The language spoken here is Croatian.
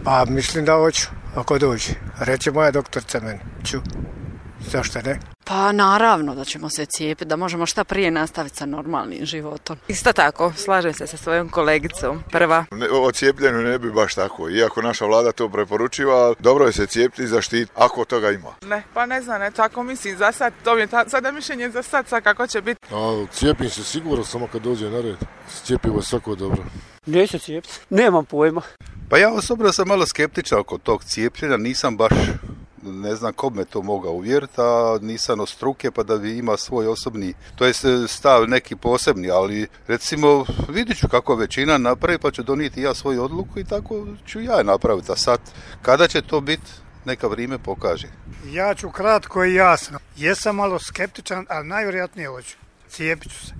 Pa mislim da hoću, ako dođe. Reče moja doktorica meni. Ću. Zašto ne? Pa naravno da ćemo se cijepiti, da možemo šta prije nastaviti sa normalnim životom. Isto tako, slažem se sa svojom kolegicom. Prva. O cijepljenju ne bi baš tako. Iako naša vlada to preporučiva, dobro je se cijepiti i zaštiti ako toga ima. Ne, pa ne znam, tako mislim za sad. To je sada mišljenje za sad kako će biti. Cijepim se sigurno samo kad dođe na red. Cijepivo je svako dobro. Neću cijepiti, nemam pojma. Pa ja osobno sam malo skeptičan oko tog cijepljenja, nisam baš, ne znam ko me to mogao uvjeriti, a nisam od struke pa da bi ima svoj osobni, to je stav neki posebni, ali recimo vidit ću kako većina napravi pa ću donijeti ja svoju odluku i tako ću ja napraviti, a sad kada će to biti, neka vrijeme pokaže. Ja ću kratko i jasno. Jesam malo skeptičan, ali najvjerojatnije hoću. Cijepit ću se.